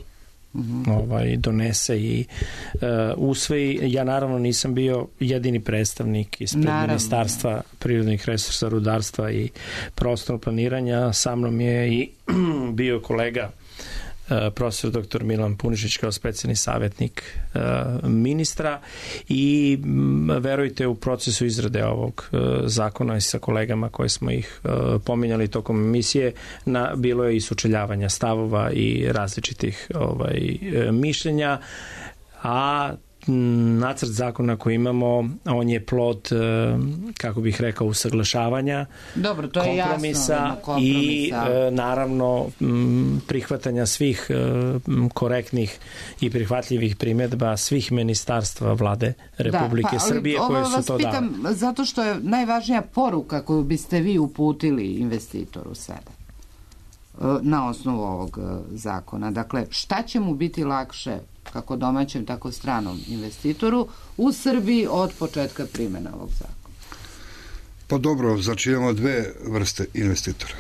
donese i usvoji. Ja naravno nisam bio jedini predstavnik ispred Ministarstva prirodnih resursa, rudarstva i prostornog planiranja. Sa mnom je i bio kolega profesor dr. Milan Punišić kao specijalni savjetnik ministra i verujte, u procesu izrade ovog zakona i sa kolegama koje smo ih pominjali tokom emisije, bilo je i sučeljavanja stavova i različitih mišljenja, a nacrt zakona koji imamo, on je plod, kako bih rekao, usaglašavanja, kompromisa i naravno prihvatanja svih korektnih i prihvatljivih primjedba svih ministarstva vlade Republike Srbije koje su to dali. Pitam zato što je najvažnija poruka koju biste vi uputili investitoru sada na osnovu ovog zakona. Dakle, šta će mu biti lakše, kako domaćem, tako stranom investitoru u Srbiji od početka primjena ovog zakona? Pa dobro, znači imamo dve vrste investitora.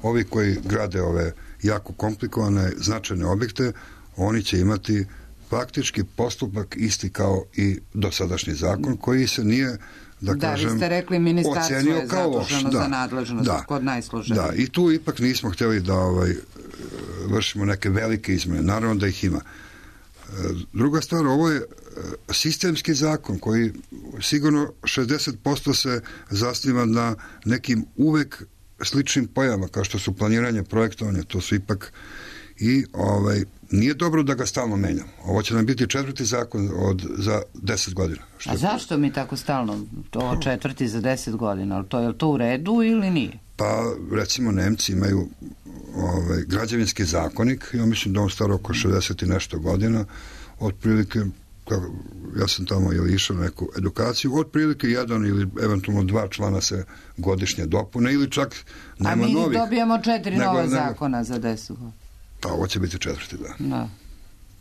Ovi koji grade ove jako komplikovane, značajne objekte, oni će imati faktički postupak isti kao i dosadašnji zakon, koji se nije, da kažem, vi ste rekli ministarstvo je zaduženo za nadležnost kod najsloženijih. Da, i tu ipak nismo htjeli da vršimo neke velike izmene. Naravno da ih ima. Druga stvar, ovo je sistemski zakon koji sigurno 60% se zasniva na nekim uvek sličnim pojavama, kao što su planiranje, projektovanje, to su ipak i nije dobro da ga stalno menjamo. Ovo će nam biti 4. zakon za 10 godina. A zašto mi tako stalno to 4. za 10 godina? Je li to u redu ili nije? Pa, recimo, Nemci imaju građevinski zakonik, ja mislim da on star oko 60 i nešto godina, otprilike, ja sam tamo išao na neku edukaciju, otprilike 1 ili eventualno 2 člana se godišnje dopune ili čak nema novih. A mi dobijamo 4 nova zakona za 10 godina. Pa ovo će biti 4. Da.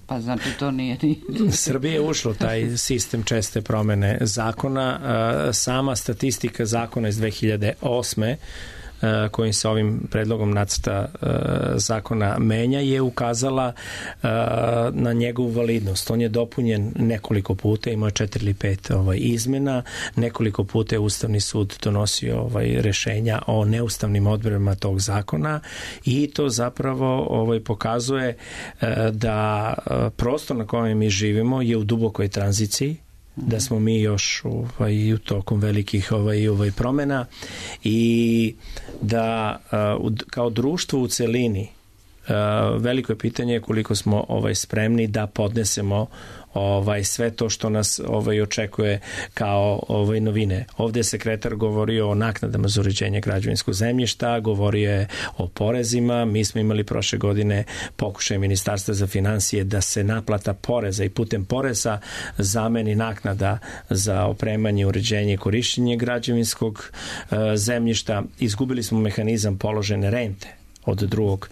Pa znači to nije... Srbija je ušla u taj sistem česte promene zakona. Sama statistika zakona iz 2008. kojim se ovim predlogom nacrta zakona menja je ukazala na njegovu validnost. On je dopunjen nekoliko puta, imao je 4 ili 5 izmena, nekoliko puta je Ustavni sud donosio rešenja o neustavnim odredbama tog zakona i to zapravo pokazuje da prostor na kojem mi živimo je u dubokoj tranziciji, da smo mi još u tokom velikih promena i da kao društvo u celini veliko je pitanje koliko smo spremni da podnesemo sve to što nas očekuje kao novine. Ovdje je sekretar govorio o naknadama za uređenje građevinskog zemljišta, govorio je o porezima. Mi smo imali prošle godine pokušaj Ministarstva za finansije da se naplata poreza i putem poreza zameni naknada za opremanje, uređenje i korišćenje građevinskog zemljišta. Izgubili smo mehanizam položene rente od drugog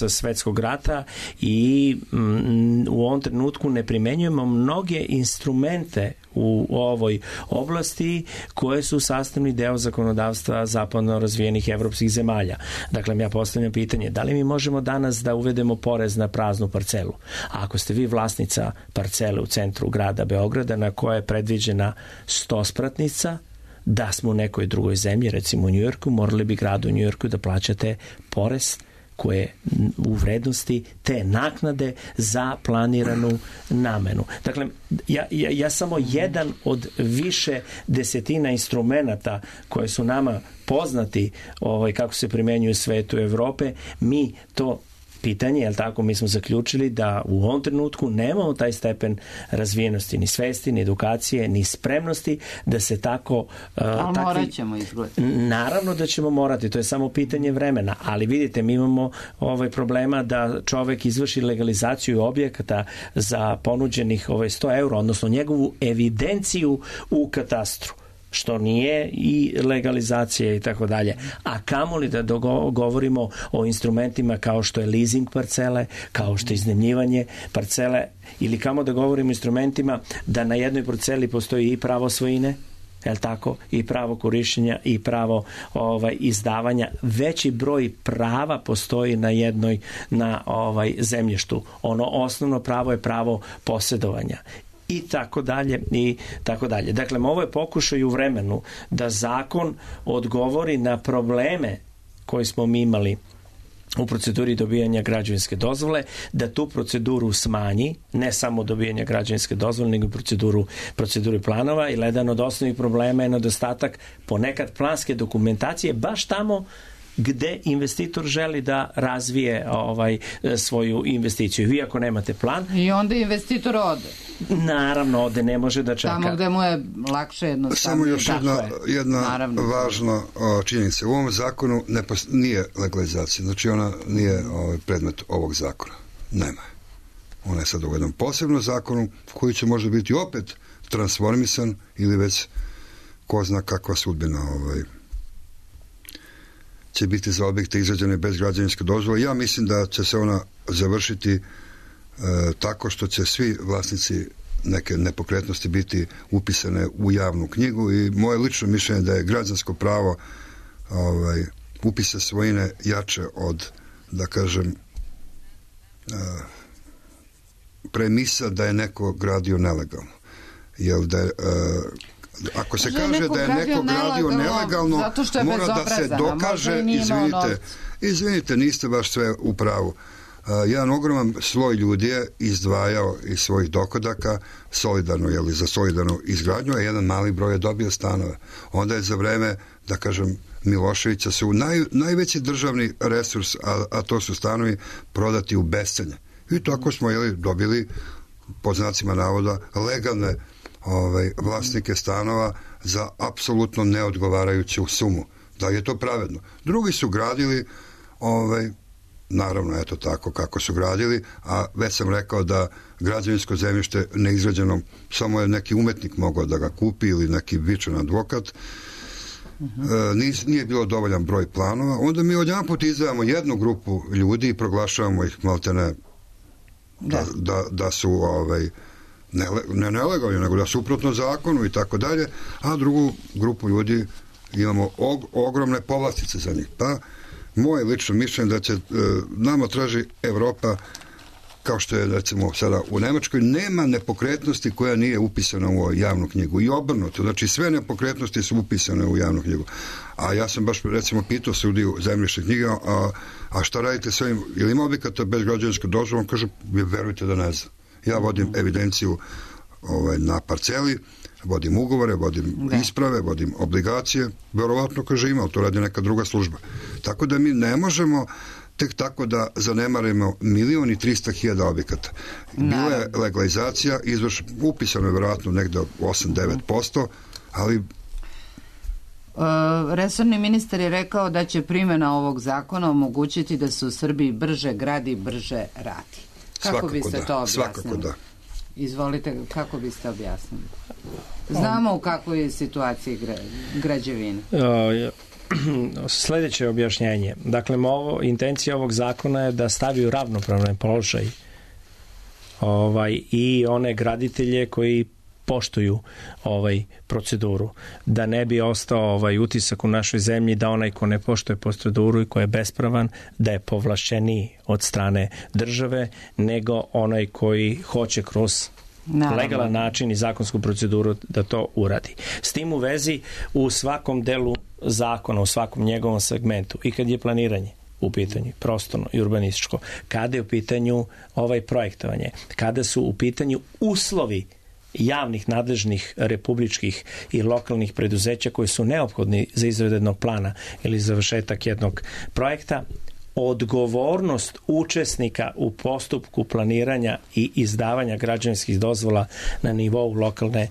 svetskog rata i u ovom trenutku ne primenjujemo mnoge instrumente u ovoj oblasti koje su sastavni deo zakonodavstva zapadno razvijenih evropskih zemalja. Dakle, ja postavljam pitanje, da li mi možemo danas da uvedemo porez na praznu parcelu? A ako ste vi vlasnica parcele u centru grada Beograda na koja je predviđena 100-spratnica, da smo u nekoj drugoj zemlji, recimo u Njujorku, morali bi gradu u Njujorku da plaćate porez koje u vrednosti te naknade za planiranu namenu. Dakle, ja samo jedan od više desetina instrumenata koje su nama poznati kako se primenjuju u svetu Evrope, mi to pitanje, jel tako, mi smo zaključili da u ovom trenutku nemamo taj stepen razvijenosti, ni svesti, ni edukacije, ni spremnosti da se tako... Ali morat ćemo izgledati. Naravno da ćemo morati, to je samo pitanje vremena, ali vidite, mi imamo problema da čovek izvrši legalizaciju objekata za ponuđenih 100 eura, odnosno njegovu evidenciju u katastru, što nije i legalizacija i tako dalje. A kamoli da govorimo o instrumentima kao što je leasing parcele, kao što je iznajmljivanje parcele, ili kamo da govorimo o instrumentima da na jednoj parceli postoji i pravo svojine, jel tako, i pravo korišćenja i pravo izdavanja. Veći broj prava postoji na zemljištu. Ono osnovno pravo je pravo posjedovanja. I tako dalje, i tako dalje. Dakle, ovo je pokušaj u vremenu da zakon odgovori na probleme koje smo mi imali u proceduri dobijanja građevinske dozvole, da tu proceduru smanji, ne samo dobijanja građevinske dozvole, nego proceduru planova, i jedan od osnovnih problema je nedostatak ponekad planske dokumentacije baš tamo gde investitor želi da razvije svoju investiciju. Vi ako nemate plan... I onda investitor ode. Naravno, ode, ne može da čeka. Tamo gde mu je lakše jednostavno. Samo još jedna važna činjenica. U ovom zakonu nije legalizacija. Znači ona nije predmet ovog zakona. Nema. Ona je sad u jednom posebnom zakonu koji će možda biti opet transformisan ili već ko zna kakva sudbina će biti za objekte izrađene bez građevinske dozvole. Ja mislim da će se ona završiti tako što će svi vlasnici neke nepokretnosti biti upisane u javnu knjigu i moje lično mišljenje da je građansko pravo upisa svojine jače od, da kažem, premisa da je neko gradio nelegalno. Jer da je, ako se kaže da je neko gradio nelegalno, mora da se dokaže, izvinite, niste baš sve u pravu. Jedan ogroman sloj ljudi je izdvajao iz svojih dohodaka solidarno, za solidarnu izgradnju, a jedan mali broj je dobio stanove. Onda je za vreme, da kažem, Miloševića su najveći državni resurs, a to su stanovi, prodati u bescenje. I tako smo dobili, pod znacima navoda, legalne vlasnike stanova za apsolutno neodgovarajuću sumu. Da je to pravedno. Drugi su gradili naravno, eto tako kako su gradili, a već sam rekao da građevinsko zemljište neizgrađeno, samo je neki umetnik mogao da ga kupi ili neki vičan advokat, nije bilo dovoljan broj planova, onda mi odjedan put izdvajamo jednu grupu ljudi i proglašavamo ih maltene da su ne nelegalni, nego da suprotno zakonu i tako dalje, a drugu grupu ljudi imamo ogromne povlastice za njih. Pa moje lično mišljenje da će nama traži Evropa, kao što je recimo sada u Nemačkoj, nema nepokretnosti koja nije upisana u javnu knjigu i obrnuto, znači sve nepokretnosti su upisane u javnu knjigu. A ja sam baš recimo pitao sudiju zemljišne knjige, a šta radite s ovim, ili ima objekata bez građevinske dozvole? On kaže, verujte da ne znam. Ja vodim evidenciju na parceli, vodim ugovore, vodim isprave, vodim obligacije, verovatno, kaže, ima, to radi neka druga služba. Tako da mi ne možemo tek tako da zanemarimo 1.300.000 objekata. Bila je legalizacija, upisano je verovatno negde 8-9%, ali... Resorni ministar je rekao da će primjena ovog zakona omogućiti da se u Srbiji brže gradi, brže radi. Kako biste to objasnili? Svakako da. Izvolite, kako biste objasnili? Znamo u kakvoj je situaciji građevine. Sljedeće objašnjenje. Dakle, intencija ovog zakona je da stavi u ravnopravni položaj i one graditelje koji poštuju proceduru. Da ne bi ostao utisak u našoj zemlji da onaj ko ne poštuje proceduru i ko je bespravan, da je povlašćeniji od strane države, nego onaj koji hoće kroz legalan način i zakonsku proceduru da to uradi. S tim u vezi, u svakom delu zakona, u svakom njegovom segmentu, i kad je planiranje u pitanju prostorno i urbanističko, kada je u pitanju projektovanje, kada su u pitanju uslovi javnih, nadležnih, republičkih i lokalnih preduzeća koji su neophodni za izradu jednog plana ili završetak jednog projekta, odgovornost učesnika u postupku planiranja i izdavanja građevinskih dozvola na nivou lokalne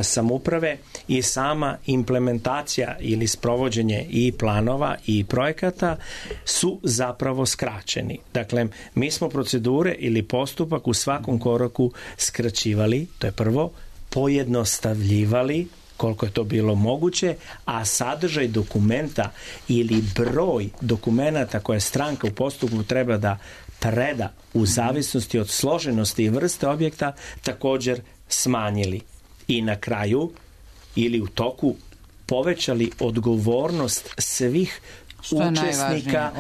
samouprave i sama implementacija ili sprovođenje i planova i projekata su zapravo skraćeni. Dakle, mi smo procedure ili postupak u svakom koraku skraćivali, to je prvo, pojednostavljivali koliko je to bilo moguće, a sadržaj dokumenta ili broj dokumenata koje stranka u postupku treba da preda u zavisnosti od složenosti i vrste objekta također smanjili. I na kraju ili u toku povećali odgovornost svih učesnika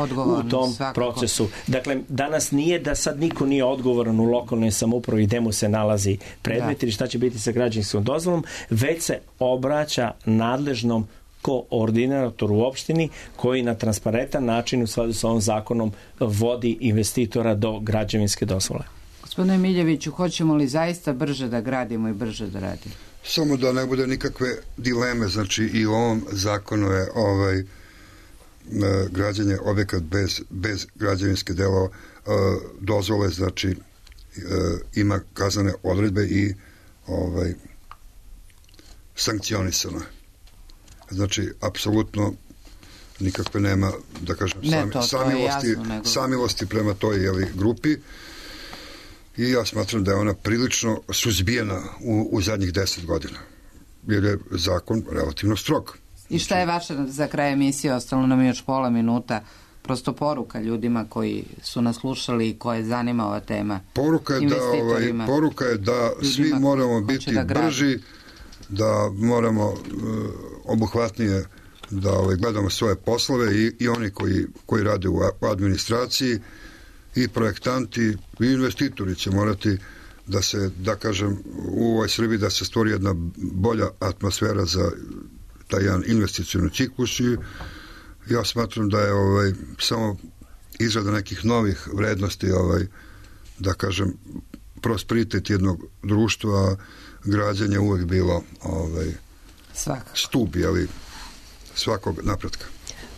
u tom procesu. Dakle, danas nije da sad niko nije odgovoran u lokalnoj samoupravi gde mu se nalazi predmet ili šta će biti sa građevinskom dozvolom, već se obraća nadležnom koordinatoru u opštini koji na transparentan način u skladu sa ovim zakonom vodi investitora do građevinske dozvole. Gospodine Miljeviću, hoćemo li zaista brže da gradimo i brže da radimo? Samo da ne bude nikakve dileme, znači i u ovom zakonu je građenje objekat bez građevinske dozvole, znači ima kaznene odredbe i sankcionisano. Znači, apsolutno nikakve nema, da kažem, samilosti prema toj grupi i ja smatram da je ona prilično suzbijena u zadnjih 10 godina, jer je zakon relativno strog. I šta je vaše za kraj emisije, ostalo nam još pola minuta, prosto poruka ljudima koji su nas slušali i koje zanima ova tema? Poruka je da svi moramo biti brži, da moramo obuhvatnije da gledamo svoje poslove i oni koji rade u administraciji i projektanti i investitori će morati da se, da kažem, u ovoj Srbiji da se stvori jedna bolja atmosfera za taj jedan investicioni ciklus i ja smatram da je samo izrada nekih novih vrednosti, da kažem, prosperitet jednog društva, građanje uvek bilo stup, svakog napretka.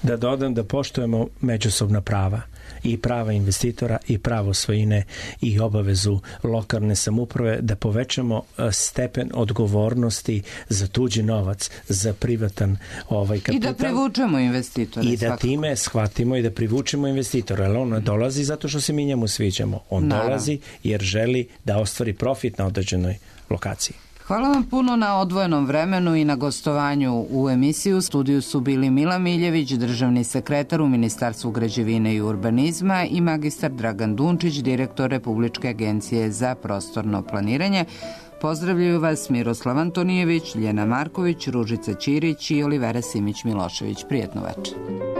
Da dodam da poštujemo međusobna prava i prava investitora i pravo svojine i obavezu lokalne samouprave, da povećamo stepen odgovornosti za tuđi novac, za privatan kapital. I da privučemo investitore. I da time shvatimo i da privučemo investitora, jer on ne dolazi zato što se mi njemu sviđamo. On dolazi jer želi da ostvari profit na određenoj lokaciji. Hvala vam puno na odvojenom vremenu i na gostovanju u emisiju. U studiju su bili Mila Miljević, državni sekretar u Ministarstvu građevine i urbanizma, i magistar Dragan Dunčić, direktor Republičke agencije za prostorno planiranje. Pozdravljaju vas Miroslav Antonijević, Ljena Marković, Ružica Ćirić i Olivera Simić-Milošević. Prijetno večer.